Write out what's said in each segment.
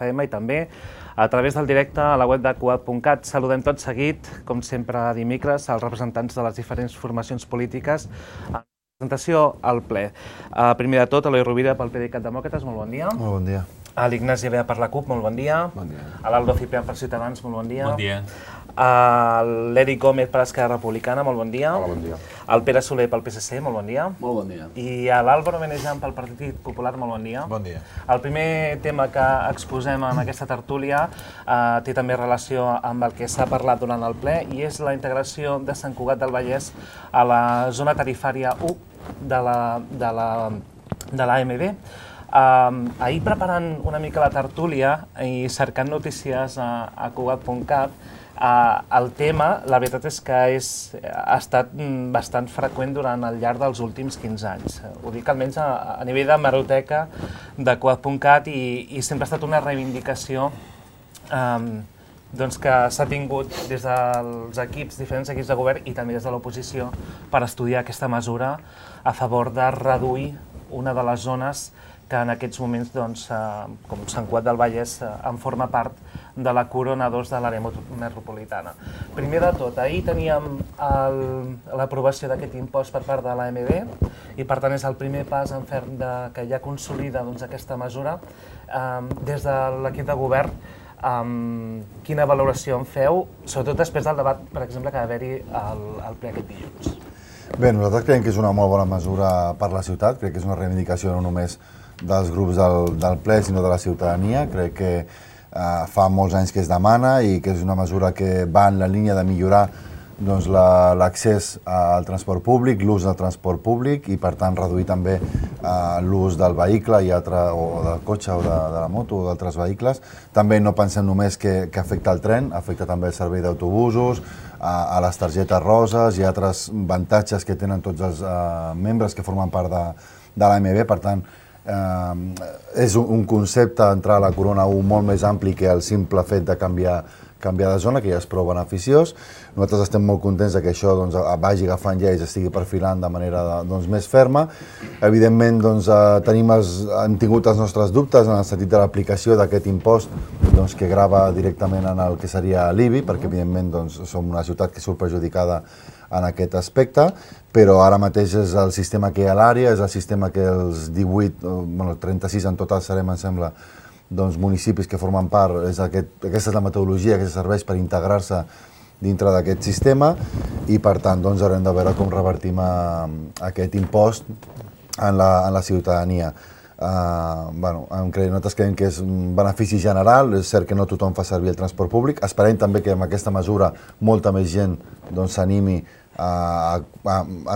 FM i també a través del directe a la web de Cugat.cat. Saludem tot seguit, com sempre dimecres, als representants de les diferents formacions polítiques en presentació al ple. Primer de tot, Eloi Rovira pel PDeCAT Demòcrates, molt bon dia. Molt bon dia. A l'Ignasi Bea per la CUP, molt bon dia. Bon dia. A l'Aldo Ciprián per Ciutadans, molt bon dia. Bon dia. A l'Eric Gómez per Esquerra Republicana, molt bon dia. Hola, bon dia. Al Pere Soler pel PSC, molt bon dia. Molt bon dia. I a l'Àlvaro Menejan pel Partit Popular, molt bon dia. Bon dia. El primer tema que exposem en aquesta tertúlia té també relació amb el que s'ha parlat durant el ple i és la integració de Sant Cugat del Vallès a la zona tarifària 1 de l'AMB. Ahir preparant una mica la tertúlia i cercant notícies a Cugat.cat, el tema, la veritat és que ha estat bastant freqüent durant el llarg dels últims 15 anys. Ho dic almenys a nivell de hemeroteca de Cugat.cat i sempre ha estat una reivindicació que s'ha tingut des dels diferents equips de govern i també des de l'oposició per estudiar aquesta mesura a favor de reduir una de les zones que en aquests moments, com Sant Cugat del Vallès, en forma part de la Corona 2 de l'àrea metropolitana. Primer de tot, ahir teníem l'aprovació d'aquest impost per part de l'AMB i per tant és el primer pas en ferm que ja consolida aquesta mesura. Des de l'equip de govern, quina valoració en feu, sobretot després del debat, per exemple, que va haver-hi al ple aquest dilluns? Bé, nosaltres creiem que és una molt bona mesura per la ciutat, crec que és una reivindicació no només dels grups del ple, sinó de la ciutadania. Crec que fa molts anys que es demana i que és una mesura que va en la línia de millorar l'accés al transport públic, l'ús del transport públic i, per tant, reduir també l'ús del vehicle o del cotxe o de la moto o d'altres vehicles. També no pensem només que afecta el tren, afecta també el servei d'autobusos, a les targetes roses i altres avantatges que tenen tots els membres que formen part de l'AMB. Per tant, és un concepte entrar a la Corona 1 molt més ampli que el simple fet de canviar de zona, que ja és prou beneficiós. Nosaltres estem molt contents que això vagi agafant ja i s'estigui perfilant de manera més ferma. Evidentment, hem tingut els nostres dubtes en el sentit de l'aplicació d'aquest impost que grava directament en el que seria l'IBI, perquè evidentment som una ciutat que surt perjudicada en aquest aspecte, però ara mateix és el sistema que hi ha a l'àrea, és el sistema que els 36 en total serem, em sembla, municipis que formen part, aquesta és la metodologia que serveix per integrar-se dintre d'aquest sistema i, per tant, haurem de veure com revertim aquest impost en la ciutadania. Nosaltres creiem que és un benefici general, és cert que no tothom fa servir el transport públic, esperem també que amb aquesta mesura molta més gent s'animi a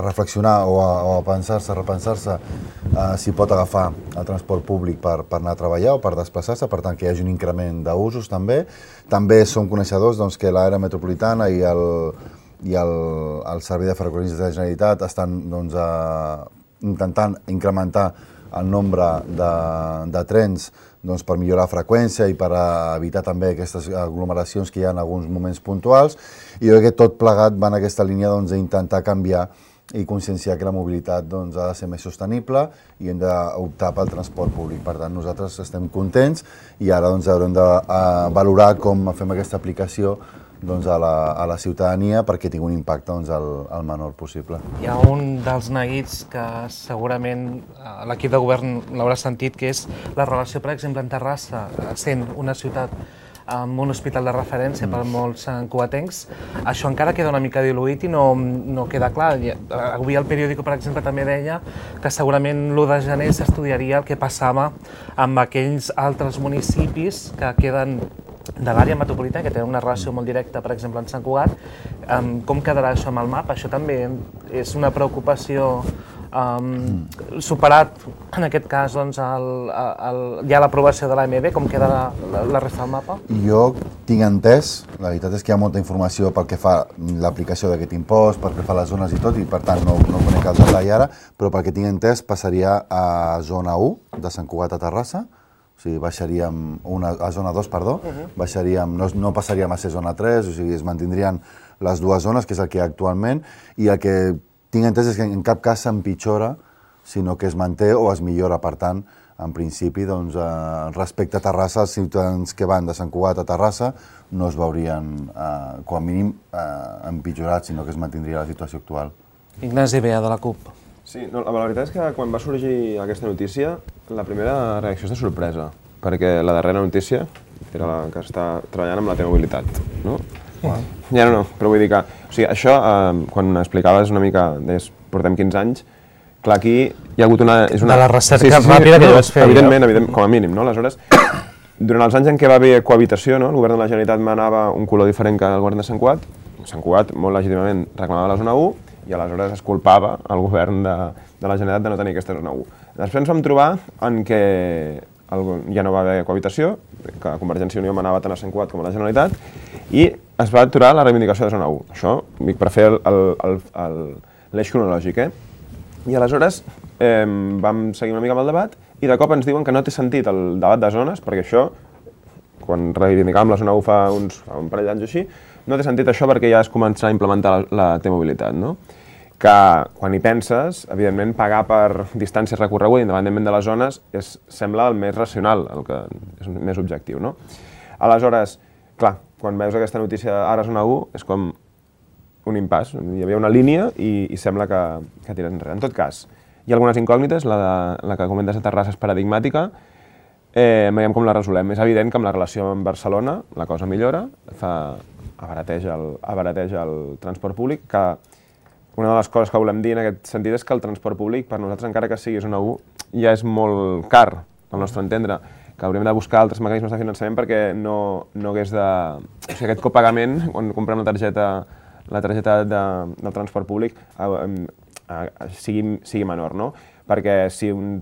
reflexionar o a repensar-se si pot agafar el transport públic per anar a treballar o per desplaçar-se, per tant que hi hagi un increment d'usos també. També som coneixedors que l'àrea metropolitana i el Servei de Ferrocarrils de la Generalitat estan intentant incrementar el nombre de trens per millorar la freqüència i per evitar també aquestes aglomeracions que hi ha en alguns moments puntuals. I jo crec que tot plegat va en aquesta línia d'intentar canviar i conscienciar que la mobilitat ha de ser més sostenible i hem d'optar pel transport públic. Per tant, nosaltres estem contents i ara haurem de valorar com fem aquesta aplicació a la ciutadania perquè tingui un impacte el menor possible. Hi ha un dels neguits que segurament l'equip de govern l'haurà sentit, que és la relació, per exemple, en Terrassa, sent una ciutat amb un hospital de referència per molts cugatencs. Això encara queda una mica diluït i no queda clar. Avui el periòdico, per exemple, també deia que segurament l'1 de gener s'estudiaria el que passava amb aquells altres municipis que queden de l'àrea metropolitana, que tenen una relació molt directa, per exemple, amb Sant Cugat. Com quedarà això amb el mapa? Això també és una preocupació. Superat, en aquest cas, ja l'aprovació de l'AMB, com queda la resta del mapa? Jo tinc entès, la veritat és que hi ha molta informació pel que fa l'aplicació d'aquest impost, pel que fa a les zones i tot, i per tant no conec el detall ara, però pel que tinc entès passaria a zona 1 de Sant Cugat a Terrassa, o sigui, baixaríem a zona 2, perdó, no passaríem a ser zona 3, o sigui, es mantindrien les dues zones, que és el que hi ha actualment, i el que tinc entès és que en cap cas s'empitjora, sinó que es manté o es millora. Per tant, en principi, doncs, respecte a Terrassa, els ciutadans que van de Sant Cugat a Terrassa no es veurien, com a mínim, empitjorats, sinó que es mantindria la situació actual. Ignasi Bea, de la CUP. Sí, no, la veritat és que quan va sorgir aquesta notícia, la primera reacció és de sorpresa, perquè la darrera notícia era la que està treballant amb la T-Mobilitat, no? Ja no, però vull dir que, o sigui, això, quan explicaves una mica, deies, portem 15 anys, clar, aquí hi ha hagut una... De la recerca ràpida que vas fer. Evidentment, com a mínim, no? Aleshores, durant els anys en què va haver cohabitació, no? El govern de la Generalitat manava un color diferent que el govern de Sant Cugat. Sant Cugat, molt legítimament, reclamava la zona 1 i aleshores es culpava el govern de la Generalitat de no tenir aquesta zona 1. Després ens vam trobar en què ja no va haver cohabitació, que Convergència i Unió manava tant a Sant Cugat com a la Generalitat, i es va aturar la reivindicació de zona 1. Això, dic, per fer l'eix cronològic, I aleshores vam seguir una mica amb el debat i de cop ens diuen que no té sentit el debat de zones, perquè això, quan reivindicàvem la zona 1 fa un parell d'anys o així, no té sentit això perquè ja es començarà a implementar la T-Mobilitat, no? Que quan hi penses, evidentment, pagar per distàncies recorregudes, independentment de les zones, sembla el més racional, el que és més objectiu, no? Aleshores, clar, quan veus aquesta notícia ara zona 1, és com un impàs. Hi havia una línia i sembla que tires enrere. En tot cas, hi ha algunes incògnites, la que comentes a Terrassa és paradigmàtica, veiem com la resolem. És evident que amb la relació amb Barcelona la cosa millora, abarateix el transport públic, que una de les coses que volem dir en aquest sentit és que el transport públic, per nosaltres, encara que sigui zona 1, ja és molt car, al nostre entendre, que hauríem de buscar altres mecanismes de finançament perquè no hagués de... O sigui, aquest copagament, quan comprem la targeta del transport públic, sigui menor, no? Perquè si un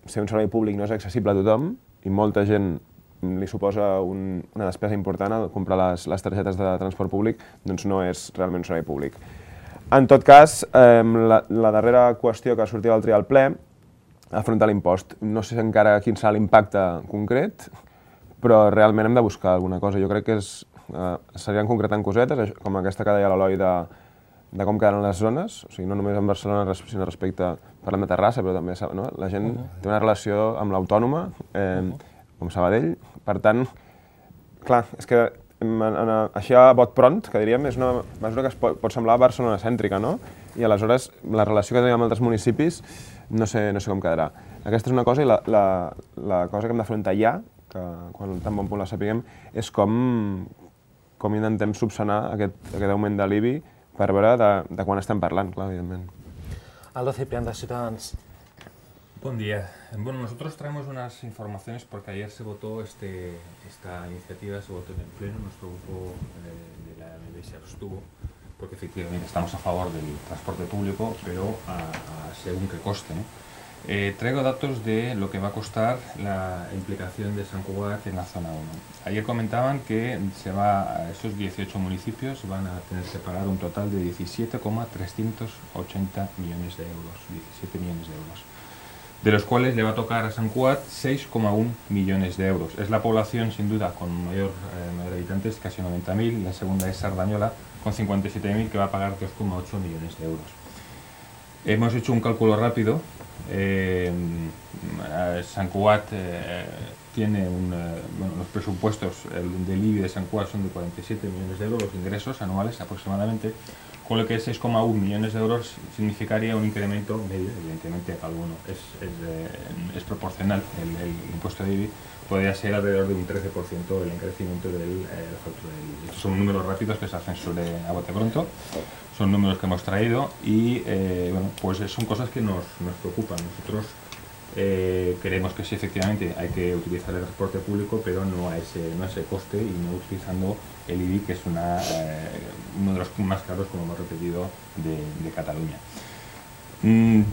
servei públic no és accessible a tothom i molta gent li suposa una despesa important comprar les targetes de transport públic, doncs no és realment un servei públic. En tot cas, la darrera qüestió que sortia del trial ple, afrontar l'impost. No sé encara quin serà l'impacte concret, però realment hem de buscar alguna cosa. Jo crec que serien concretant cosetes, com aquesta que deia l'Eloi de com quedaran les zones, o sigui, no només en Barcelona, sinó respecte, parlant de Terrassa, però també la gent té una relació amb l'Autònoma, com Sabadell. Per tant, clar, és que així a bot pront, que diríem, és una mesura que pot semblar barcelonacèntrica, no? I aleshores la relació que tenim amb altres municipis no sé com quedarà. Aquesta és una cosa i la cosa que hem d'afrontar ja, que quan tan bon punt la sapiguem, és com intentem subsanar aquest augment de l'IBI per veure de quan estem parlant, clar, evidentment. Aldo Ciprián, de Ciutadans. Buen día. Bueno, nosotros traemos unas informaciones porque ayer se votó esta iniciativa, se votó en el Pleno, nuestro grupo de la MB se abstuvo, porque efectivamente estamos a favor del transporte público, pero según qué coste, ¿no? Traigo datos de lo que va a costar la implicación de Sant Cugat en la zona 1. Ayer comentaban que esos 18 municipios van a tener que pagar un total de 17,380 millones de euros, 17 millones de euros. De los cuales le va a tocar a Sant Cugat 6,1 millones de euros. Es la población, sin duda, con mayor habitantes, casi 90.000. La segunda es Sardañola, con 57.000, que va a pagar 2,8 millones de euros. Hemos hecho un cálculo rápido. Sant Cugat tiene los presupuestos del IBI de Sant Cugat son de 47 millones de euros, los ingresos anuales aproximadamente, con lo que 6,1 millones de euros significaría un incremento medio, evidentemente cada uno es proporcional, el impuesto de IBI podría ser alrededor de un 13% el crecimiento de la factura del IBI. Estos son números rápidos que se hacen a bote pronto, son números que hemos traído y pues son cosas que nos preocupan. Nosotros creemos que sí, efectivamente hay que utilizar el transporte público, pero no a ese coste y no utilizando el IBI, que es uno de los más caros, como hemos repetido, de Cataluña.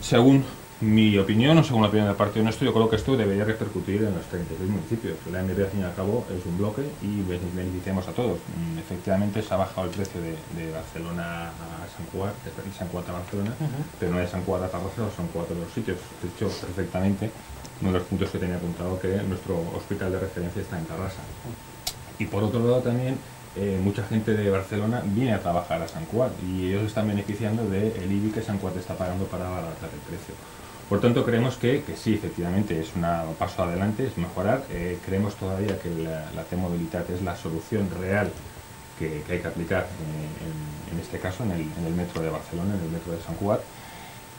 Según mi opinión, o según la opinión del partido nuestro, yo creo que esto debería repercutir en los 36 municipios. La MB, al fin y al cabo, es un bloque y beneficiamos a todos. Efectivamente, se ha bajado el precio de Barcelona a Sant Cugat, de Sant Cugat a Barcelona, pero no de Sant Cugat a Tarrasa o Sant Cugat a otros sitios. De hecho, perfectamente, uno de los puntos que tenía apuntado que nuestro hospital de referencia está en Tarrasa. Y por otro lado también, mucha gente de Barcelona viene a trabajar a Sant Cugat y ellos están beneficiando del IBI que Sant Cugat está pagando para abaratar el precio. Por tanto, creemos que sí, efectivamente, es un paso adelante, es mejorar. Creemos todavía que la T-Mobilitat es la solución real que hay que aplicar en este caso, en el metro de Barcelona, en el metro de Sant Cugat,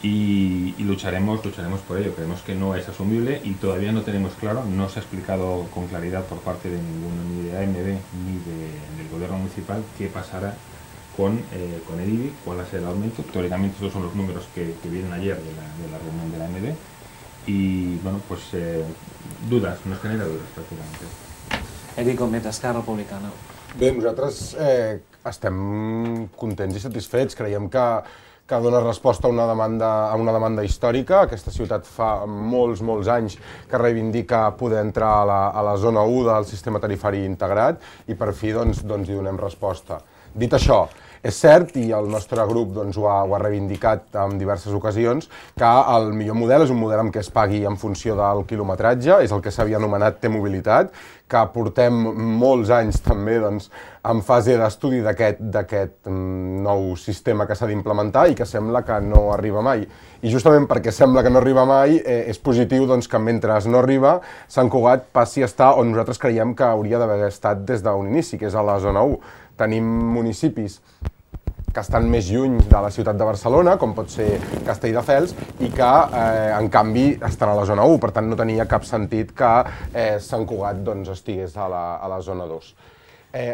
y lucharemos por ello. Creemos que no es asumible y todavía no tenemos claro, no se ha explicado con claridad por parte de ninguno, ni de AMB ni del gobierno municipal, qué pasará con el IBI, cuál va a ser el aumento. Teóricamente estos son los números que vienen ayer de la reunión de la AMB y bueno, pues dudas, nos genera dudas prácticamente. Eric Gómez, Esquerra Republicana. Bé, nosaltres estem contents i satisfets. Creiem que dona resposta a una demanda històrica. Aquesta ciutat fa molts anys que reivindica poder entrar a la zona 1 del sistema tarifari integrat i per fi doncs, hi donem resposta. Dit això, és cert, i el nostre grup ho ha reivindicat en diverses ocasions, que el millor model és un model en què es pagui en funció del quilometratge, és el que s'havia anomenat T-Mobilitat, que portem molts anys també en fase d'estudi d'aquest nou sistema que s'ha d'implementar i que sembla que no arriba mai. I justament perquè sembla que no arriba mai, és positiu que mentre no arriba, Sant Cugat passi a estar on nosaltres creiem que hauria d'haver estat des d'un inici, que és a la zona 1. Tenim municipis que estan més lluny de la ciutat de Barcelona, com pot ser Castelldefels, i que, en canvi, estan a la zona 1. Per tant, no tenia cap sentit que Sant Cugat estigués a la zona 2.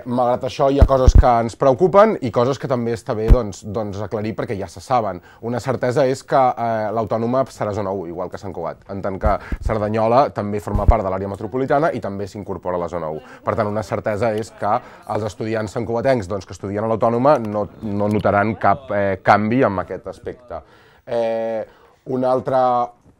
Malgrat això, hi ha coses que ens preocupen i coses que també està bé aclarir perquè ja se saben. Una certesa és que l'Autònoma serà zona 1, igual que Sant Cugat, en tant que Cerdanyola també forma part de l'àrea metropolitana i també s'incorpora a la zona 1. Per tant, una certesa és que els estudiants santcugatencs que estudien a l'Autònoma no notaran cap canvi en aquest aspecte.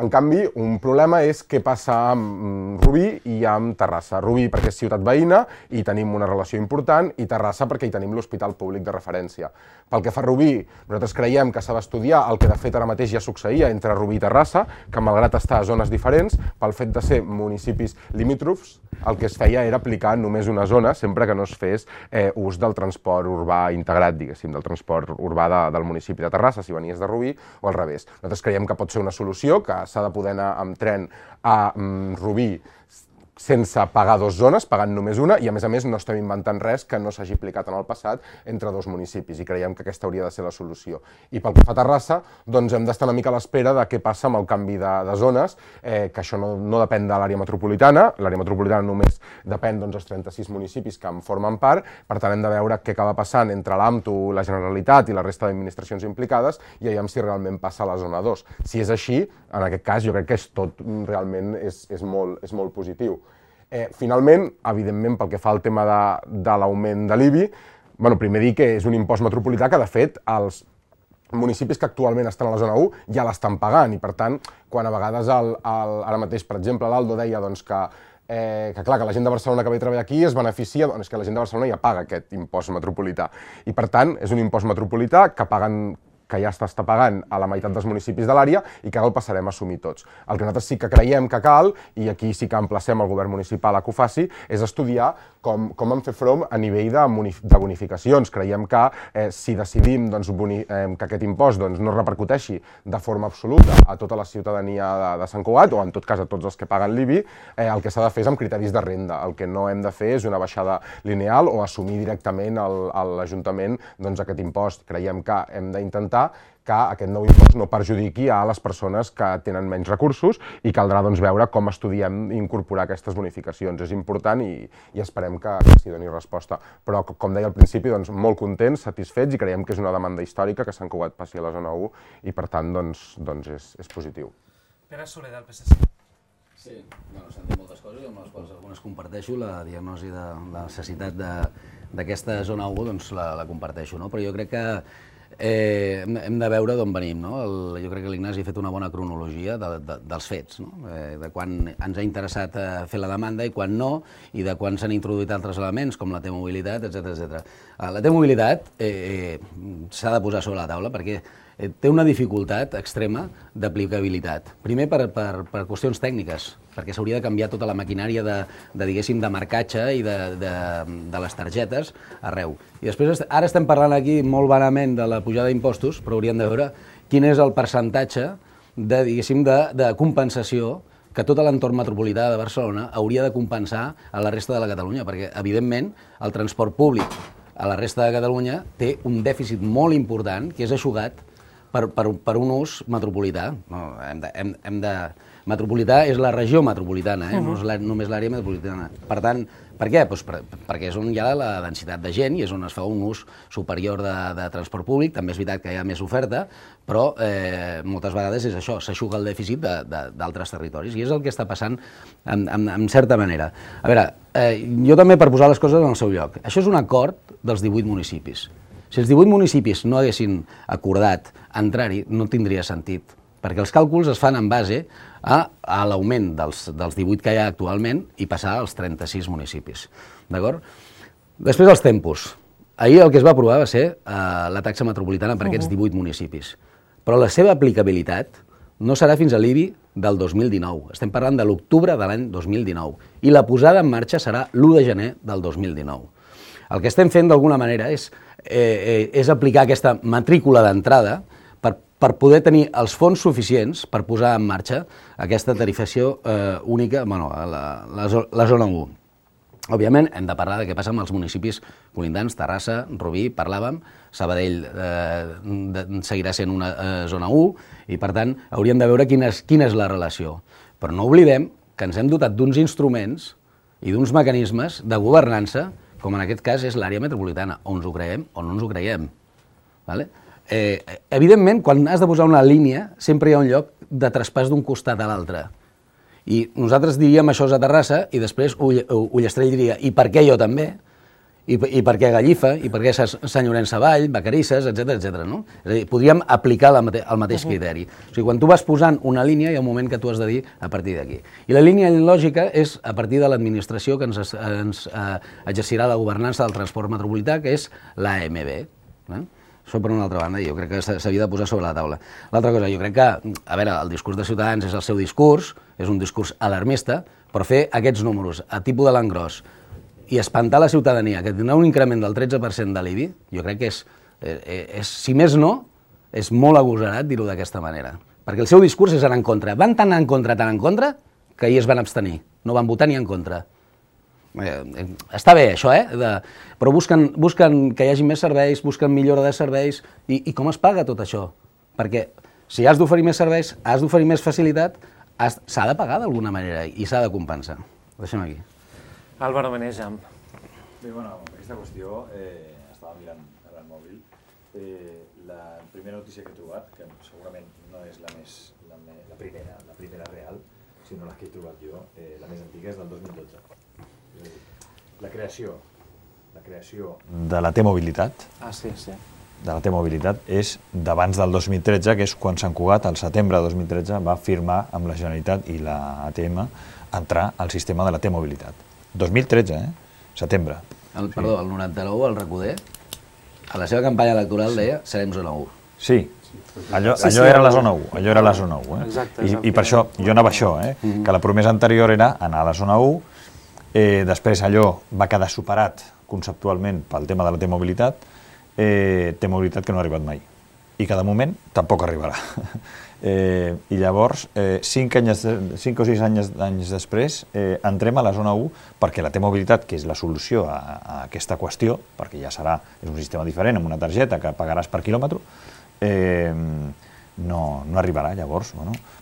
En canvi, un problema és què passa amb Rubí i amb Terrassa. Rubí perquè és ciutat veïna i tenim una relació important, i Terrassa perquè hi tenim l'hospital públic de referència. Pel que fa a Rubí, nosaltres creiem que s'ha d'estudiar el que de fet ara mateix ja succeïa entre Rubí i Terrassa, que malgrat estar a zones diferents, pel fet de ser municipis limítrofs, el que es feia era aplicar només una zona sempre que no es fes ús del transport urbà integrat, diguéssim, del transport urbà del municipi de Terrassa, si venies de Rubí, o al revés. Nosaltres creiem que pot ser una solució, que s'ha de poder anar amb tren a Rubí sense pagar dues zones, pagant només una, i a més no estem inventant res que no s'hagi aplicat en el passat entre dos municipis, i creiem que aquesta hauria de ser la solució. I pel que fa a Terrassa, hem d'estar una mica a l'espera de què passa amb el canvi de zones, que això no depèn de l'àrea metropolitana, l'àrea metropolitana només depèn dels 36 municipis que en formen part, per tant hem de veure què acaba passant entre l'AMTU, la Generalitat i la resta d'administracions implicades, i veiem si realment passa a la zona 2. Si és així, en aquest cas jo crec que tot realment és molt positiu. Finalment, evidentment, pel que fa al tema de l'augment de l'IBI, primer dir que és un impost metropolità que, de fet, els municipis que actualment estan a la zona 1 ja l'estan pagant, i per tant, quan a vegades ara mateix, per exemple, l'Aldo deia que clar, que la gent de Barcelona que ve a treballar aquí es beneficia, és que la gent de Barcelona ja paga aquest impost metropolità. I per tant, és un impost metropolità que ja està pagant a la meitat dels municipis de l'àrea i que ara el passarem a assumir tots. El que nosaltres sí que creiem que cal, i aquí sí que emplacem el govern municipal a que ho faci, és estudiar com en fer front a nivell de bonificacions. Creiem que si decidim que aquest impost no repercuteixi de forma absoluta a tota la ciutadania de Sant Cugat, o en tot cas a tots els que paguen l'IBI, el que s'ha de fer és amb criteris de renda. El que no hem de fer és una baixada lineal o assumir directament a l'Ajuntament aquest impost. Creiem que hem d'intentar que aquest nou impost no perjudiqui a les persones que tenen menys recursos, i caldrà veure com estudiem incorporar aquestes bonificacions. És important i esperem que s'hi doni resposta. Però, com deia al principi, molt contents, satisfets, i creiem que és una demanda històrica que Sant Cugat passi a la zona 1 i, per tant, és positiu. Pere Soler, del PSC. Sí, s'han dit moltes coses, amb les quals algunes comparteixo. La diagnosi de la necessitat d'aquesta zona 1 la comparteixo, però jo crec que hem de veure d'on venim. Jo crec que l'Ignasi ha fet una bona cronologia dels fets, de quan ens ha interessat fer la demanda i quan no, i de quan s'han introduït altres elements, com la T-Mobilitat, etc. La T-Mobilitat s'ha de posar sobre la taula perquè té una dificultat extrema d'aplicabilitat. Primer per qüestions tècniques, perquè s'hauria de canviar tota la maquinària de marcatge i de les targetes arreu. I després, ara estem parlant aquí molt vanament de la pujada d'impostos, però hauríem de veure quin és el percentatge diguéssim, de compensació que tot l'entorn metropolità de Barcelona hauria de compensar a la resta de la Catalunya, perquè, evidentment, el transport públic a la resta de Catalunya té un dèficit molt important que és eixugat per un ús metropolità. No, metropolità és la regió metropolitana, no és només l'àrea metropolitana. Per tant, per què? Doncs perquè és on hi ha la densitat de gent i és on es fa un ús superior de transport públic. També és veritat que hi ha més oferta, però moltes vegades és això, s'eixuga el dèficit d'altres territoris. I és el que està passant en certa manera. A veure, jo també per posar les coses en el seu lloc. Això és un acord dels 18 municipis. Si els 18 municipis no haguessin acordat entrar-hi, no tindria sentit, perquè els càlculs es fan en base a l'augment dels 18 que hi ha actualment i passar als 36 municipis. D'acord? Després els tempos. Ahir el que es va aprovar va ser la taxa metropolitana per aquests 18 municipis. Però la seva aplicabilitat no serà fins a l'IBI del 2019. Estem parlant de l'octubre de l'any 2019. I la posada en marxa serà l'1 de gener del 2019. El que estem fent d'alguna manera és aplicar aquesta matrícula d'entrada per poder tenir els fons suficients per posar en marxa aquesta tarifació única, la zona 1. Òbviament, hem de parlar de què passa amb els municipis colindants, Terrassa, Rubí, parlàvem, Sabadell seguirà sent una zona 1 i, per tant, hauríem de veure quina és la relació. Però no oblidem que ens hem dotat d'uns instruments i d'uns mecanismes de governança, com en aquest cas és l'àrea metropolitana, o ens ho creiem o no ens ho creiem. Evidentment, quan has de posar una línia, sempre hi ha un lloc de traspàs d'un costat a l'altre. I nosaltres diríem això és a Terrassa i després Ullastrell diria i per què jo també? I per què Gallifa? I per què Sant Llorenç Savall, Vacarisses, etc. No? És a dir, podríem aplicar el mateix criteri. O sigui, quan tu vas posant una línia hi ha un moment que tu has de dir a partir d'aquí. I la línia lògica és a partir de l'administració que ens exercirà la governança del transport metropolità, que és l'AMB. Això per una altra banda, jo crec que s'havia de posar sobre la taula. L'altra cosa, jo crec que, a veure, el discurs de Ciutadans és el seu discurs, és un discurs alarmista, però fer aquests números a tipus de l'engròs i espantar la ciutadania, que tindrà un increment del 13% de l'IBI, jo crec que és, si més no, és molt agosarat dir-ho d'aquesta manera. Perquè el seu discurs és anar en contra. Van tan en contra, que ahir es van abstenir. No van votar ni en contra. Està bé això, però busquen que hi hagi més serveis, busquen millora de serveis, i com es paga tot això? Perquè si has d'oferir més serveis, has d'oferir més facilitat, s'ha de pagar d'alguna manera i s'ha de compensar. Ho deixem aquí. Álvaro Menejam. Bé, bueno, aquesta qüestió, estava mirant ara el mòbil, la primera notícia que he trobat, que segurament no és la primera real, sinó la que he trobat jo, la més antiga és del 2012. La creació de la T-Mobilitat de la T-Mobilitat és d'abans del 2013, que és quan Sant Cugat, al setembre de 2013, va firmar amb la Generalitat i la ATM entrar al sistema de la T-Mobilitat. 2013, setembre. El 99, el Recoder, a la seva campanya electoral deia serem zona 1. Sí, allò era la zona 1, allò era la zona 1. Exacte. I per això, jo anava a això, que la promesa anterior era anar a la zona 1, després allò va quedar superat conceptualment pel tema de la T-Mobilitat, T-Mobilitat que no ha arribat mai i que de moment tampoc arribarà. I llavors, 5 o 6 anys després, entrem a la zona 1 perquè la T-Mobilitat, que és la solució a aquesta qüestió, perquè ja és un sistema diferent, amb una targeta que pagaràs per quilòmetre, no arribarà. Llavors,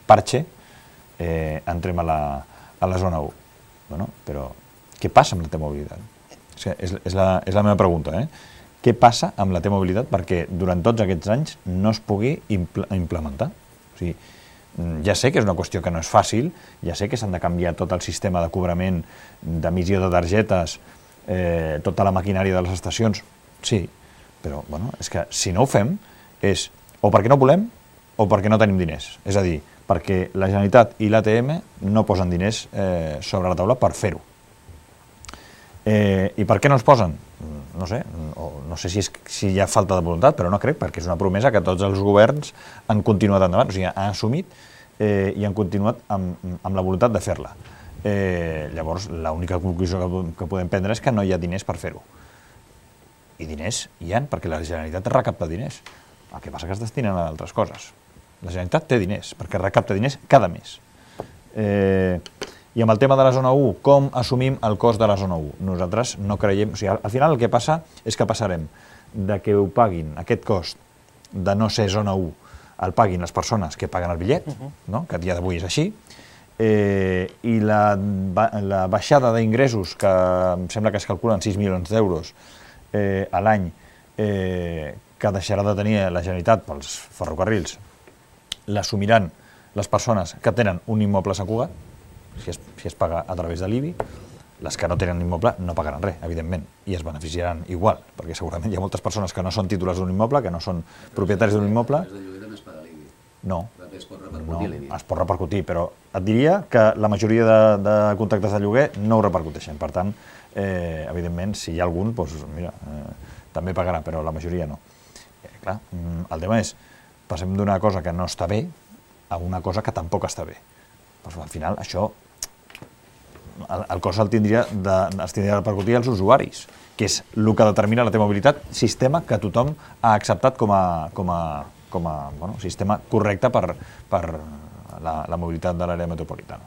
parche, entrem a la zona 1. Però què passa amb la T-Mobilitat? És la meva pregunta, Què passa amb la T-Mobilitat perquè durant tots aquests anys no es pugui implementar? O sigui, ja sé que és una qüestió que no és fàcil, ja sé que s'han de canviar tot el sistema de cobrament, d'emissió de targetes, tota la maquinària de les estacions, sí, però és que si no ho fem és o perquè no volem o perquè no tenim diners. És a dir, perquè la Generalitat i l'ATM no posen diners sobre la taula per fer-ho. I per què no els posen? No sé, no sé si hi ha falta de voluntat, però no crec, perquè és una promesa que tots els governs han continuat endavant, o sigui, han assumit i han continuat amb la voluntat de fer-la. Llavors, l'única conclusió que podem prendre és que no hi ha diners per fer-ho. I diners hi ha, perquè la Generalitat recapta diners. El que passa que es destinen a altres coses. La Generalitat té diners, perquè recapta diners cada mes. I amb el tema de la zona 1, com assumim el cost de la zona 1? Nosaltres no creiem... O sigui, al final el que passa és que passarem de que ho paguin, aquest cost de no ser zona 1, el paguin les persones que paguen el bitllet, no? Que a dia d'avui és així, i la baixada d'ingressos, que em sembla que es calculen 6 milions d'euros a l'any, que deixarà de tenir la Generalitat pels ferrocarrils, l'assumiran les persones que tenen un immoble a Sant Cugat, si es paga a través de l'IBI. Les que no tenen immoble no pagaran res, evidentment, i es beneficiaran igual, perquè segurament hi ha moltes persones que no són titulars d'un immoble, que no són propietaris d'un immoble. El lloguer també es paga l'IBI. No, Es pot repercutir l'IBI. es pot repercutir, però et diria que la majoria de contractes de lloguer no ho repercuteixen. Per tant, evidentment, si hi ha algun, doncs, mira, també pagarà, però la majoria no. Clar, el tema és, passem d'una cosa que no està bé a una cosa que tampoc està bé. Però al final, això, el cost es tindria de repercutir als usuaris, que és el que determina la T-mobilitat, sistema que tothom ha acceptat com a sistema correcte per la mobilitat de l'àrea metropolitana.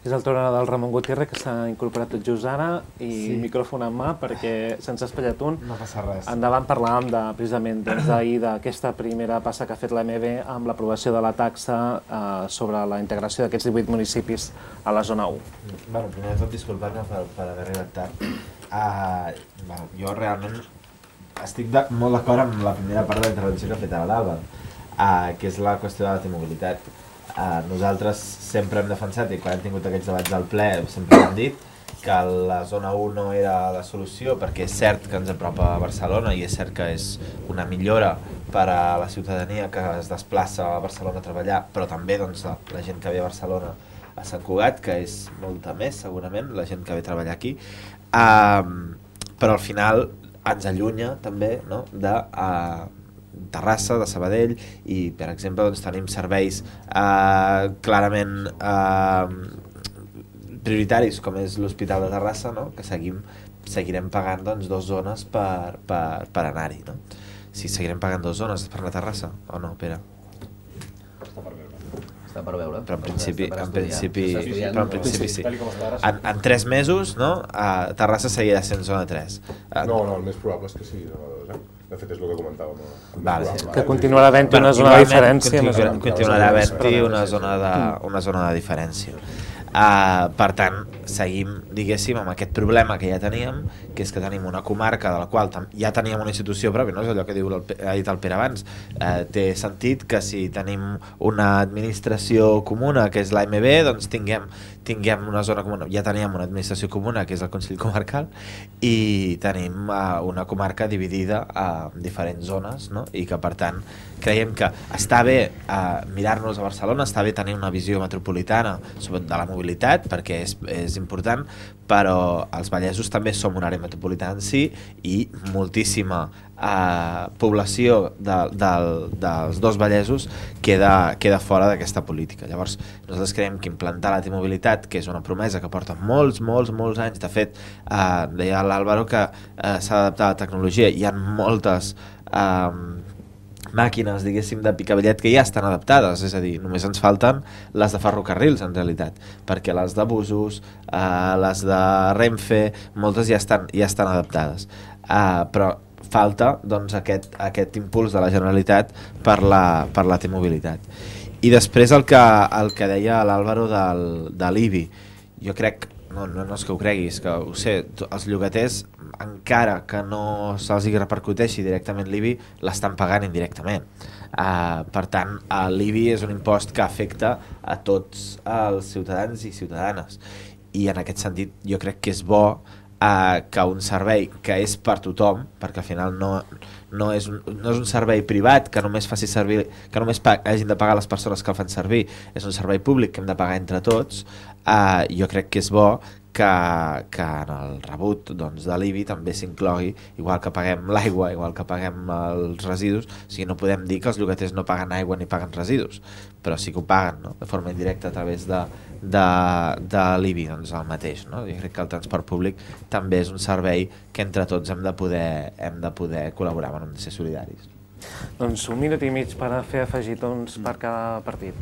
És el torn del Ramon Gutiérrez, que s'ha incorporat tot just ara, i micròfon en mà, perquè se'ns ha espatllat un. No passa res. Endavant parlàvem precisament d'ahir d'aquesta primera passa que ha fet l'AMB amb l'aprovació de la taxa sobre la integració d'aquests 18 municipis a la zona 1. Bueno, primer de tot, disculpar-me per haver arribat tard. Jo realment estic molt d'acord amb la primera part de la intervenció que ha fet l'Alba, que és la qüestió de la T-mobilitat. Nosaltres sempre hem defensat, i quan hem tingut aquests debats al ple sempre hem dit que la zona 1 no era la solució, perquè és cert que ens apropa a Barcelona i és cert que és una millora per a la ciutadania que es desplaça a Barcelona a treballar, però també doncs, la gent que ve a Barcelona a Sant Cugat, que és molta més segurament, la gent que ve a treballar aquí, però al final ens allunya també, no?, de Terrassa, de Sabadell, i per exemple doncs, tenim serveis clarament prioritaris com és l'Hospital de Terrassa, no?, que seguirem pagant doncs, 2 zones per anar-hi, no? Si seguirem pagant 2 zones per anar a Terrassa o no, Pere? Està per veure. Però en principi sí. Tal com està ara, En 3 mesos, no?, Terrassa seguirà sent zona 3. No, el més probable és que sigui zona 2, De fet, és el que comentàvem. Vale. Que continuarà havent-hi una zona de diferència. Continuarà havent-hi una zona de diferència. Per tant, seguim, diguéssim, amb aquest problema que ja teníem, que és que tenim una comarca de la qual ja teníem una institució pròpia, no és allò que ha dit el Pere abans. Té sentit que si tenim una administració comuna, que és l'AMB, doncs tinguem una zona comuna. Ja teníem una administració comuna, que és el Consell Comarcal, i tenim una comarca dividida en diferents zones, no? I que, per tant, creiem que està bé mirar-nos a Barcelona, està bé tenir una visió metropolitana de la mobilitat, perquè és important, però els vallesos també som una àrea metropolitana en si i moltíssima població dels 2 vallesos queda fora d'aquesta política. Llavors, nosaltres creiem que implantar la T-mobilitat, que és una promesa que porta molts anys, de fet, deia l'Àlvaro que s'ha d'adaptar a la tecnologia, hi ha moltes màquines, diguéssim, de picabillet que ja estan adaptades, és a dir, només ens falten les de ferrocarrils, en realitat, perquè les de busos, les de Renfe, moltes ja estan adaptades. Però falta doncs, aquest impuls de la Generalitat per la T-mobilitat. I després el que deia l'Àlvaro de l'IBI, jo crec, no és que ho creguis, que ho sé, els llogaters, encara que no se'ls repercuteixi directament l'IBI, l'estan pagant indirectament. Per tant, l'IBI és un impost que afecta a tots els ciutadans i ciutadanes. I en aquest sentit jo crec que és bo que un servei que és per tothom, perquè al final no és un servei privat que només faci servir, que només hagin de pagar les persones que el fan servir, és un servei públic que hem de pagar entre tots. Jo crec que és bo que en el rebut doncs, de l'IBI també s'inclogui, igual que paguem l'aigua, igual que paguem els residus. O sigui, no podem dir que els llogaters no paguen aigua ni paguen residus, però sí que ho paguen, no?, de forma indirecta a través de l'IBI, doncs el mateix, no? Jo crec que el transport públic també és un servei que entre tots hem de poder col·laborar, hem de ser solidaris. Doncs 1 minut i mig per fer afegitons per cada partit.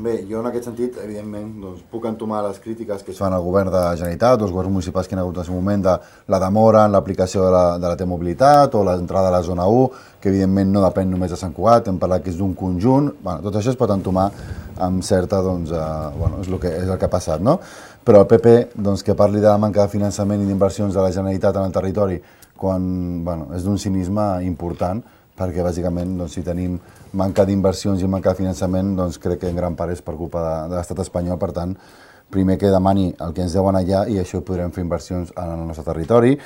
Bé, jo en aquest sentit, evidentment, doncs, puc entomar les crítiques que es fan al govern de la Generalitat, dels governs municipals que hi ha hagut en aquest moment, de la demora en l'aplicació de la T-mobilitat o l'entrada a la zona 1, que evidentment no depèn només de Sant Cugat, hem parlat que és d'un conjunt, bueno, tot això es pot entomar amb certa, doncs, és el que ha passat, no? Però el PP, doncs, que parli de la manca de finançament i d'inversions de la Generalitat en el territori, quan, bueno, és d'un cinisme important, perquè bàsicament doncs, si tenim manca d'inversions i manca de finançament, doncs crec que en gran part és per culpa de l'estat espanyol. Per tant, primer que demani el que ens deuen allà i això podrem fer inversions en el nostre territori.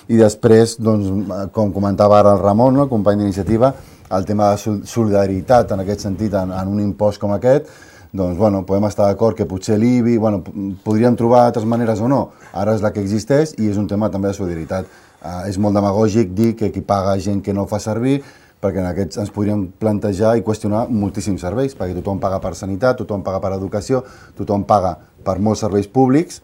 I després, doncs, com comentava ara el Ramon, el company d'iniciativa, el tema de solidaritat en aquest sentit, en un impost com aquest, doncs, bueno, podem estar d'acord que potser l'IBI, bueno, podríem trobar altres maneres o no. Ara és la que existeix i és un tema també de solidaritat. És molt demagògic dir que qui paga gent que no el fa servir, perquè en aquests ens podríem plantejar i qüestionar moltíssims serveis, perquè tothom paga per sanitat, tothom paga per educació, tothom paga per molts serveis públics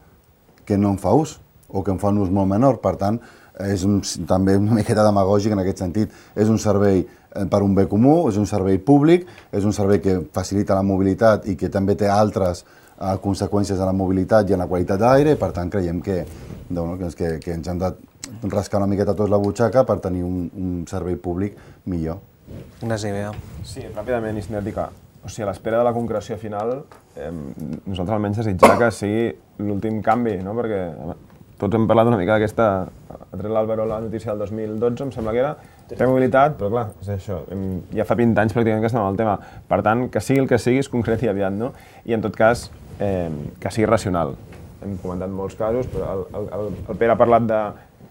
que no en fa ús, o que en fa un ús molt menor. Per tant, és també una miqueta demagògic en aquest sentit. És un servei per un bé comú, és un servei públic, és un servei que facilita la mobilitat i que també té altres conseqüències en la mobilitat i en la qualitat de l'aire, i per tant creiem que ens hem de rascar una miqueta tots la butxaca per tenir un servei públic millor. Ignasi, bé. Sí, ràpidament, i sinètica. O sigui, a l'espera de la concreció final, nosaltres almenys desitjar que sigui l'últim canvi, no? Perquè tots hem parlat una mica d'aquesta... Ha tret l'Álvaro la notícia del 2012, em sembla que era, té mobilitat, però clar, és això, ja fa 20 anys pràcticament que estem en el tema. Per tant, que sigui el que sigui, es concreti aviat, no? I en tot cas, que sigui racional. Hem comentat molts casos, però el Pere ha parlat de...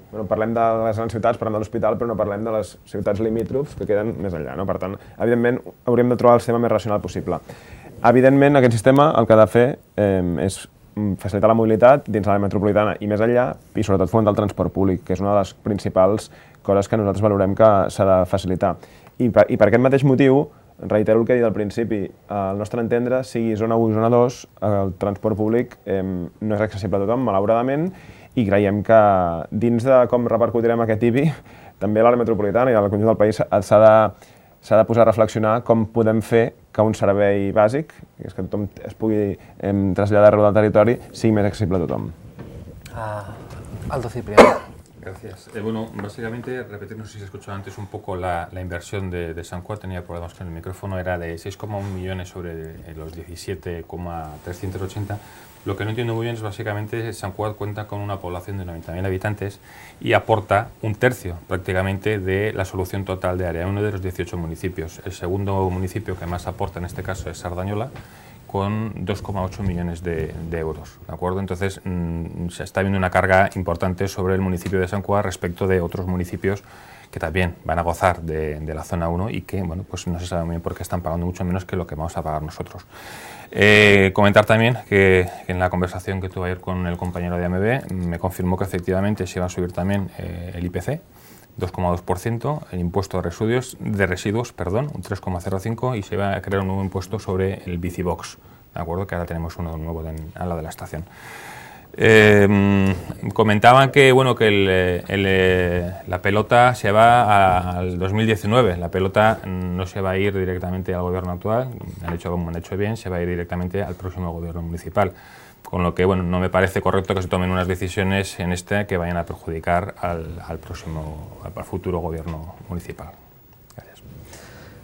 Bueno, parlem de les grans ciutats, parlem de l'hospital, però no parlem de les ciutats limítrofs que queden més enllà, no? Per tant, evidentment, hauríem de trobar el sistema més racional possible. Evidentment, aquest sistema el que ha de fer és facilitar la mobilitat dins l'àrea metropolitana i més enllà, i sobretot fomentar el transport públic, que és una de les principals coses que nosaltres valorem que s'ha de facilitar. I per aquest mateix motiu, reitero el que he dit al principi, al nostre entendre, sigui zona 1 i zona 2, el transport públic no és accessible a tothom, malauradament, i creiem que dins de com repercutirem aquest IBI, també a l'àrea metropolitana i al conjunt del país s'ha de posar a reflexionar com podem fer que un servei bàsic, que és que tothom es pugui traslladar arreu del territori, sigui més accessible a tothom. Aldo Cipriano. Gracias. Bueno, básicamente, repetir, no sé si se escuchó antes un poco la inversión de San Cugat, tenía problemas con el micrófono, era de 6,1 millones sobre los 17,380. Lo que no entiendo muy bien es básicamente San Cugat cuenta con una población de 90.000 habitantes y aporta un tercio prácticamente de la solución total de área, uno de los 18 municipios. El segundo municipio que más aporta en este caso es Sardañola, con 2,8 millones de euros, ¿de acuerdo? Entonces se está viendo una carga importante sobre el municipio de San Cugat respecto de otros municipios que también van a gozar de la zona 1 y que, bueno, pues no se sabe muy bien por qué están pagando mucho menos que lo que vamos a pagar nosotros. Comentar también que en la conversación que tuve ayer con el compañero de AMB me confirmó que efectivamente se iba a subir también el IPC, 2,2%, el impuesto de residuos, un 3,05%, y se va a crear un nuevo impuesto sobre el bicibox, ¿de acuerdo? Que ahora tenemos uno nuevo al lado de la estación. Comentaban que, bueno, que la pelota se va al 2019, la pelota no se va a ir directamente al gobierno actual, han hecho bien, se va a ir directamente al próximo gobierno municipal. Con lo que, bueno, no me parece correcto que se tomen unas decisiones en que vayan a perjudicar al futuro gobierno municipal. Gràcies.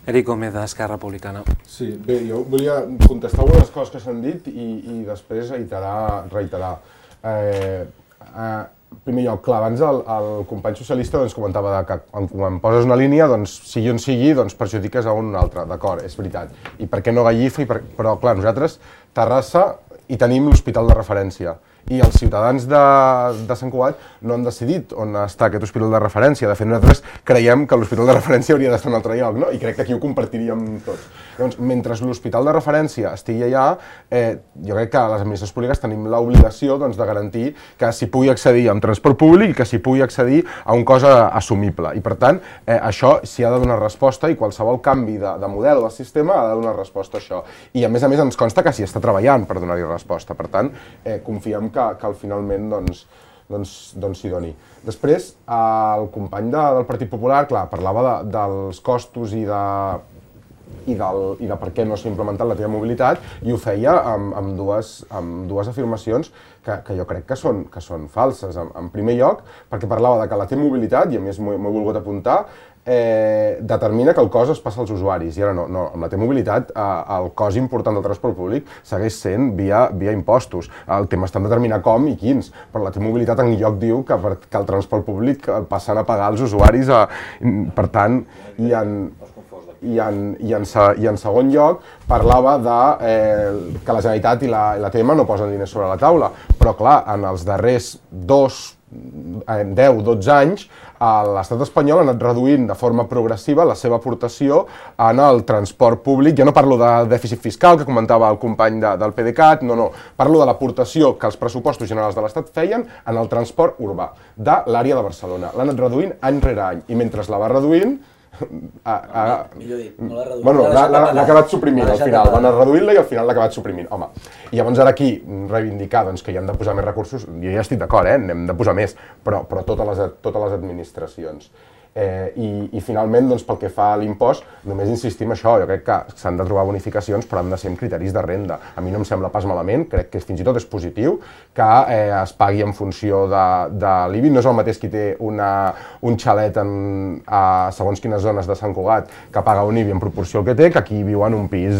Eric Gómez, d'Esquerra Republicana. Sí, bé, jo volia contestar algunes coses que s'han dit i després reiterar. En primer lloc, clar, abans el company socialista doncs, comentava que quan poses una línia, doncs, sigui on sigui, doncs, perjudiques a un altre, d'acord, és veritat. I per què no Gallifa? Però, clar, nosaltres, Terrassa, i tenim l'hospital de referència. I els ciutadans de Sant Cugat no han decidit on està aquest hospital de referència. De fet, nosaltres creiem que l'hospital de referència hauria d'estar en un altre lloc, no? I crec que aquí ho compartiríem tots. Llavors, mentre l'hospital de referència estigui allà, jo crec que les administracions públiques tenim l'obligació de garantir que s'hi pugui accedir amb transport públic i que s'hi pugui accedir a un cost assumible. I, per tant, això s'hi ha de donar resposta i qualsevol canvi de model o de sistema ha de donar resposta a això. I, a més, ens consta que s'hi està treballant per donar-hi resposta. Per tant, confiem que finalment s'hi doni. Després, el company del Partit Popular, clar, parlava dels costos i de per què no s'ha implementat la T-mobilitat, i ho feia amb dues afirmacions que jo crec que són falses. En primer lloc, perquè parlava de que la T-mobilitat, i a més m'ho he volgut apuntar, determina que el cost es passa als usuaris. I ara no, amb la T-mobilitat el cost important del transport públic segueix sent via impostos. El tema està en determinar com i quins, però la T-mobilitat en lloc diu que el transport públic el passen a pagar els usuaris. Per tant, i en segon lloc parlava que la Generalitat i la TM no posen diners sobre la taula, però clar, en els darrers 10-12 anys l'estat espanyol ha anat reduint de forma progressiva la seva aportació en el transport públic. Jo no parlo de dèficit fiscal, que comentava el company del PDeCAT, no, parlo de l'aportació que els pressupostos generals de l'Estat feien en el transport urbà de l'àrea de Barcelona. L'ha anat reduint any rere any, i mentre la va reduint, millor dit, no l'ha reduït. Bueno, l'ha acabat suprimint al final, va anar reduint-la i al final l'ha acabat suprimint. Home, i llavors ara aquí reivindicar que hi hem de posar més recursos, jo ja estic d'acord, n'hem de posar més, però totes les administracions. I finalment, pel que fa a l'impost, només insistim en això, jo crec que s'han de trobar bonificacions, però han de ser amb criteris de renda. A mi no em sembla pas malament, crec que fins i tot és positiu que es pagui en funció de l'IBI. No és el mateix qui té un xalet a segons quines zones de Sant Cugat que paga un IBI en proporció al que té, que qui viu en un pis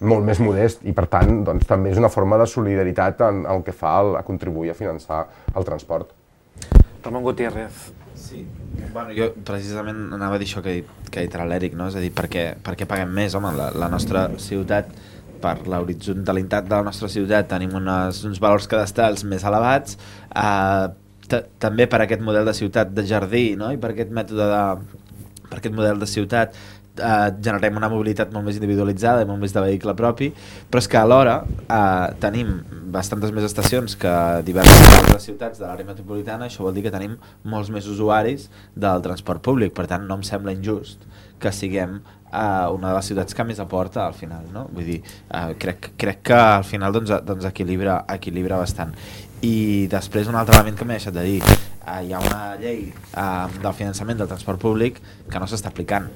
molt més modest, i per tant també és una forma de solidaritat en el que fa a contribuir a finançar el transport. Ramon Gutiérrez. Sí. Bueno, jo precisament anava a dir això que ha dit l'Eric, no? És a dir, per què paguem més? Home, la nostra ciutat, per l'horitzontalitat de la nostra ciutat, tenim uns valors cadastrals més elevats, també per aquest model de ciutat de jardí, no? I per aquest model de ciutat generem una mobilitat molt més individualitzada i molt més de vehicle propi, però és que alhora tenim bastantes més estacions que diverses altres ciutats de l'àrea metropolitana. Això vol dir que tenim molts més usuaris del transport públic, per tant no em sembla injust que siguem una de les ciutats que més aporta al final, no? Vull dir, crec que al final doncs equilibra bastant. I després un altre element que m'he deixat de dir, hi ha una llei del finançament del transport públic que no s'està aplicant.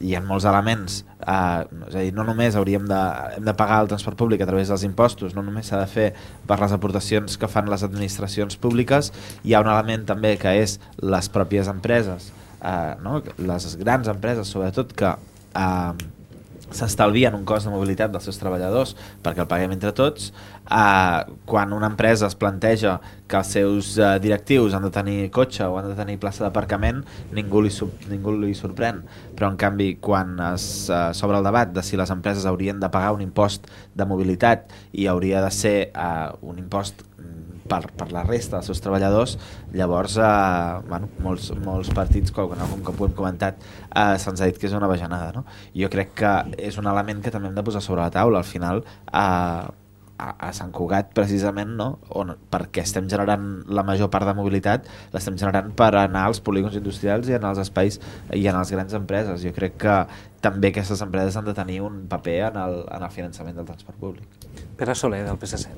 Hi ha molts elements, és a dir, no només hem de pagar el transport públic a través dels impostos, no només s'ha de fer per les aportacions que fan les administracions públiques, hi ha un element també que és les pròpies empreses, les grans empreses sobretot, que s'estalvien un cost de mobilitat dels seus treballadors perquè el paguem entre tots. Quan una empresa es planteja que els seus directius han de tenir cotxe o han de tenir plaça d'aparcament, ningú li sorprèn, però en canvi quan s'obre el debat de si les empreses haurien de pagar un impost de mobilitat i hauria de ser un impost per la resta dels seus treballadors, llavors molts partits, com ho hem comentat, se'ns ha dit que és una bajanada, no? Jo crec que és un element que també hem de posar sobre la taula. Al final a Sant Cugat precisament, no? Perquè estem generant la major part de mobilitat, l'estem generant per anar als polígons industrials i anar als espais i anar a les grans empreses. Jo crec que també aquestes empreses han de tenir un paper en el finançament del transport públic. Pere Soler, del PSC.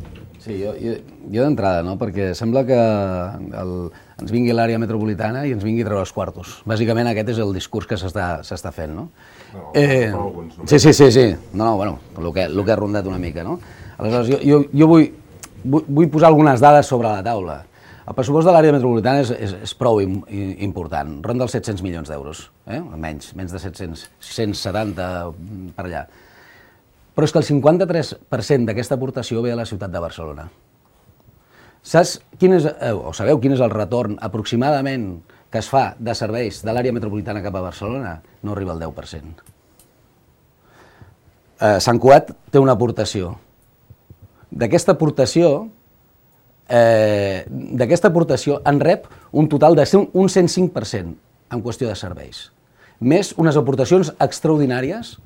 Sí, jo d'entrada, no? Perquè sembla que ens vingui l'àrea metropolitana i ens vingui a treure els quartos. Bàsicament aquest és el discurs que s'està fent, no? Sí. No, bueno, el que ha rondat una mica, no? Aleshores, jo vull posar algunes dades sobre la taula. El pressupost de l'àrea metropolitana és prou important, ronda els 700 milions d'euros, menys de 700, 170 per allà. Però és que el 53% d'aquesta aportació ve a la ciutat de Barcelona. Sabeu quin és el retorn aproximadament que es fa de serveis de l'àrea metropolitana cap a Barcelona? No arriba al 10%. Sant Cugat té una aportació. D'aquesta aportació en rep un total de un 105% en qüestió de serveis. Més unes aportacions extraordinàries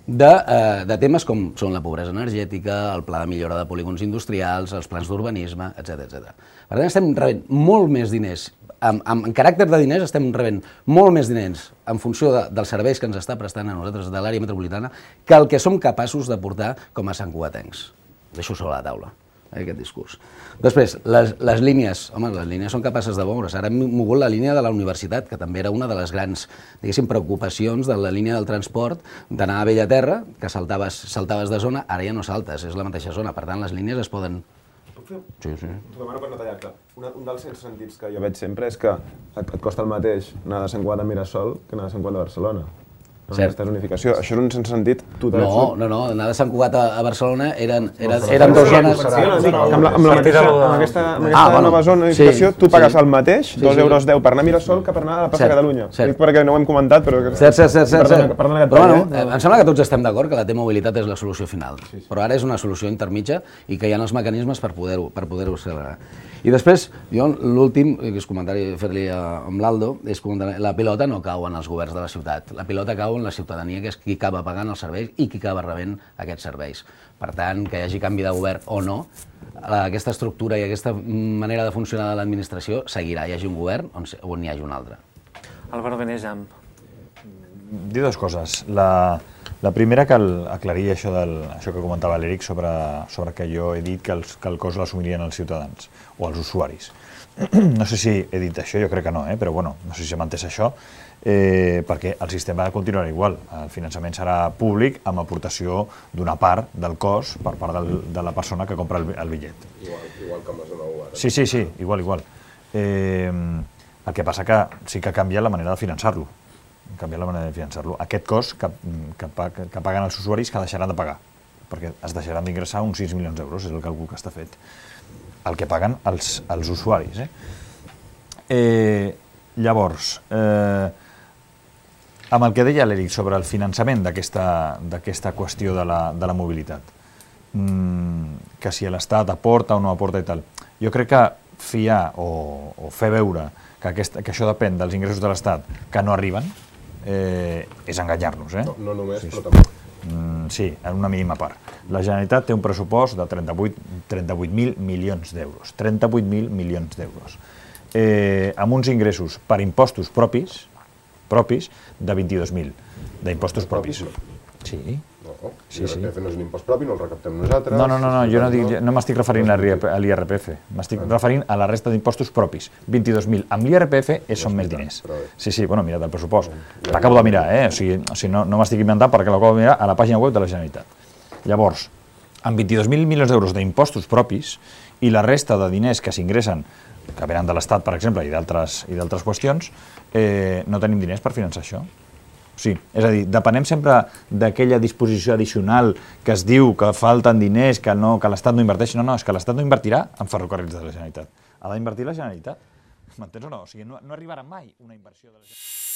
de temes com són la pobresa energètica, el pla de millora de polígons industrials, els plans d'urbanisme, etc. Per tant, estem rebent molt més diners, en caràcter de diners estem rebent molt més diners en funció dels serveis que ens està prestant a nosaltres de l'àrea metropolitana que el que som capaços d'aportar com a santcugatencs. Deixo sobre la taula. aquest discurs. Després, les línies, home, les línies són capaces de moure's. Ara hem mogut la línia de la universitat, que també era una de les grans, diguéssim, preocupacions de la línia del transport, d'anar a Bellaterra, que saltaves de zona, ara ja no saltes, és la mateixa zona, per tant les línies es poden... Sí. T'ho demano per no tallar-te. Un dels sentits que jo veig sempre és que et costa el mateix anar de Sant Cugat a Mirasol que anar de Sant Cugat a Barcelona. Aquesta unificació. Això és un sentit total. No, anar de Sant Cugat a Barcelona eren dues zones... Amb aquesta nova zona d'unificació tu pagues el mateix, 2,10 € per anar a Mirasol que per anar a la plaça de Catalunya. Dic perquè no ho hem comentat, però... Cert. Però em sembla que tots estem d'acord que la T-mobilitat és la solució final, però ara és una solució intermitja i que hi ha els mecanismes per poder-ho accelerar. I després, jo l'últim, que és comentari fer-li amb l'Aldo, és que la pilota no cau en els governs de la ciutat, la pilota cau en la ciutadania, que és qui acaba pagant els serveis i qui acaba rebent aquests serveis. Per tant, que hi hagi canvi de govern o no, aquesta estructura i aquesta manera de funcionar de l'administració seguirà, hi hagi un govern o n'hi hagi un altre. Álvaro Benejam. Dir dues coses. La primera, que aclarir això que comentava l'Eric sobre que jo he dit que el cost l'assumirien els ciutadans o els usuaris. No sé si he dit això, jo crec que no, però bueno, no sé si s'ha entès això, perquè el sistema continuarà igual. El finançament serà públic amb aportació d'una part del cost per part de la persona que compra el bitllet. Igual que amb la zona U ara. Sí, igual. El que passa que sí que canvia la manera de finançar-lo. Aquest cost que paguen els usuaris que deixaran de pagar, perquè es deixaran d'ingressar uns 6 milions d'euros, és el càlcul que està fet. El que paguen els usuaris. Llavors, amb el que deia l'Eric sobre el finançament d'aquesta qüestió de la mobilitat, que si l'Estat aporta o no aporta i tal, jo crec que fiar o fer veure que això depèn dels ingressos de l'Estat que no arriben és enganyar-nos. No només, però també. Sí, en una mínima part. La Generalitat té un pressupost de 38.000 milions d'euros. 38.000 milions d'euros. Amb uns ingressos per impostos propis de 22.000 d'impostos propis. Sí. L'IRPF no és un impost propi, no el recaptem nosaltres. No, jo no m'estic referint a l'IRPF, m'estic referint a la resta d'impostos propis. 22.000. Amb l'IRPF són més diners. Sí, bueno, mira, del pressupost. L'acabo de mirar, o sigui, no m'estic inventant perquè l'acabo de mirar a la pàgina web de la Generalitat. Llavors, amb 22.000 milions d'euros d'impostos propis i la resta de diners que s'ingressen, que venen de l'Estat, per exemple, i d'altres qüestions, no tenim diners per finançar això. Sí, és a dir, depenem sempre d'aquella disposició addicional que es diu que falten diners, que l'Estat no inverteix. No, és que l'Estat no invertirà en ferrocarrils de la Generalitat. Ha d'invertir la Generalitat. M'entens o no? O sigui, no arribarà mai una inversió de la Generalitat.